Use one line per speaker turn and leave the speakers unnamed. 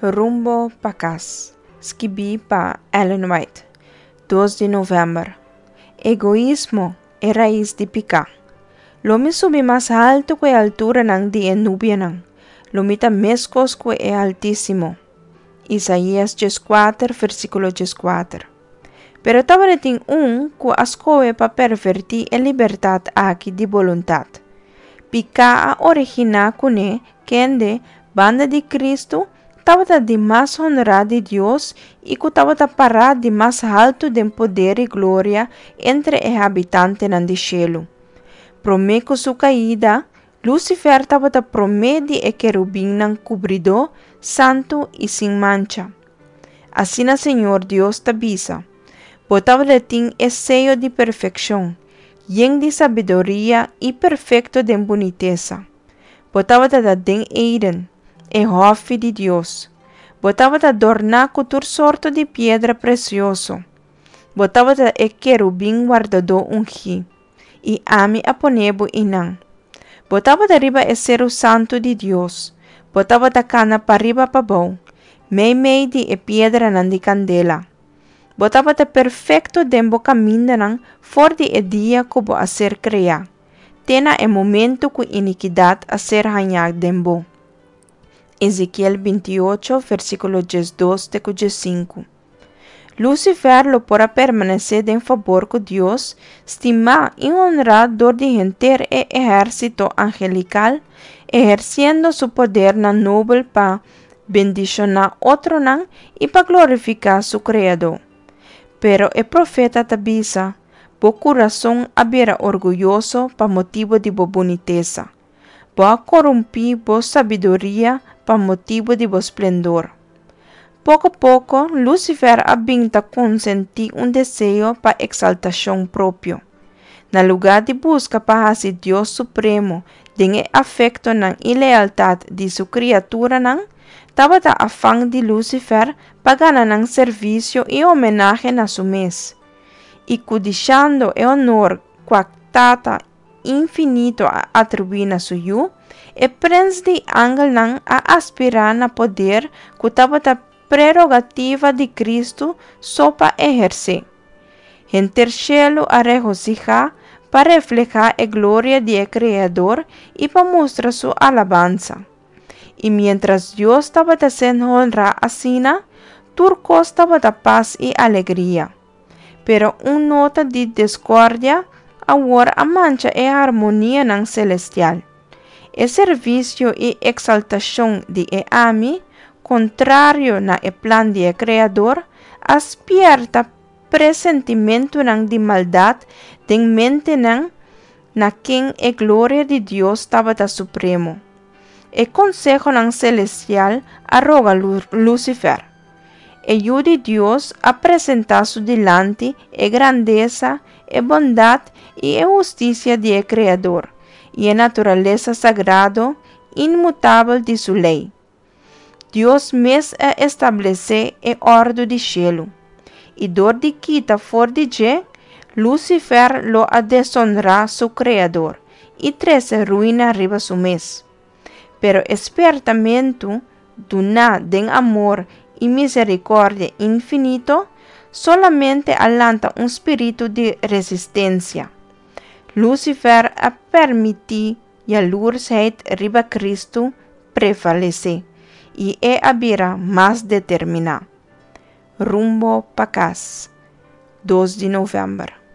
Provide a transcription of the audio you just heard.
Rumbo pa kas, skibí pa Ellen White, dos di novèmber. Egoismo, e rais di piká. Lo mi subi mas haltu ku e alturanan di e nubianan, lo mi ta meskos ku e Altísimo. Isaías 14, versíkulo 14. Pero tabatin un ku a skohe pa pervertí e libertat aki di boluntat. Piká a originá kuné, kende, banda di Kristu, tabata di mas honrá di Dios i ku tabata pará di mas haltu den poder i gloria entre e habitantenan di shelu. Promé ku su kaida, Lucifer tabata promé di e kerubinnan kubridó, santu i sin mancha. Asina Señor Dios ta bisa, Bo tabatin e seyo di perfekshon, yen di sabiduria i perfekto den bunitesa. Bo tabata den Eden, e hòfi di Dios. Bo tabata dòrná ku tur sorto di piedra presioso. Bo tabata e kerubin wardadó ungí, i ami a pone bo einan. Bo tabata riba e seru santu di Dios. Bo tabata kana pariba pabou, meimei di e piedranan di kandela. Bo tabata perfekto den bo kamindanan for di e dia ku bo a ser kreá, te na e momento ku inikidat a ser hañá den bo. Ezekiel 28, versíkulo 12 te ku 15. Lucifer lo por a permanesé den fabor ku Dios, stimá i honrá dor di henter e ehérsito angelikal, ehersiendo su podernan nobel pa bendishoná otronan i pa glorifiká su Kreadó. Pero e profeta ta bisa, Bo kurason a bira orguyoso pa motibu di bo bunitesa. Bo a korumpí bo sabiduria pa motibu di bo splendor. Poko poko, Lucifer a bin ta konsentí un deseo pa eksaltashon propio. Na lugá di buska pa hasi Dios supremo den e afektonan i lealtat di su kriaturanan, tabata afan di Lucifer pa gana nan servisio i homenahe na su mes. I kudishando e honor kua Tata infinito a atribuí na su Yu, e prens di angelnan a aspirá na poder ku tabata prerogativa di Kristu so pa ehersé. Henter shelu a regosihá pa reflehá e gloria di e Kreador i pa mustra su alabansa. I miéntras Dios tabata ser honrá asina, tur kos tabata pas i alegria. Pero un nota di diskordia awor a mancha e harmonianan selestial. E servisio i eksaltashon di e Ami, kontrario na e plan di e Kreador, a spièrta presentimentunan di maldat den mentenan na ken e gloria di Dios tabata supremo. E konsehonan selestial a roga Lucifer. E Yu di Dios a presentá su dilanti e grandesa, e bondat i e hustisia di e Kreador, i e naturalesa sagrado inmutabel di su lei. Dios mes a establesé e òrdu di shelu, i dor di kita for di dje, Lucifer lo a desonrá su Kreador i trese ruina riba su mes. Pero e spièrtamentu duná den amor i miserikòrdia infinito solamente a lanta un spiritu di resistensia. Lucifer a permití Yalursheid riba Kristu prevalesé, i e a bira mas determiná. Rumbo pa kas, dos di novèmber.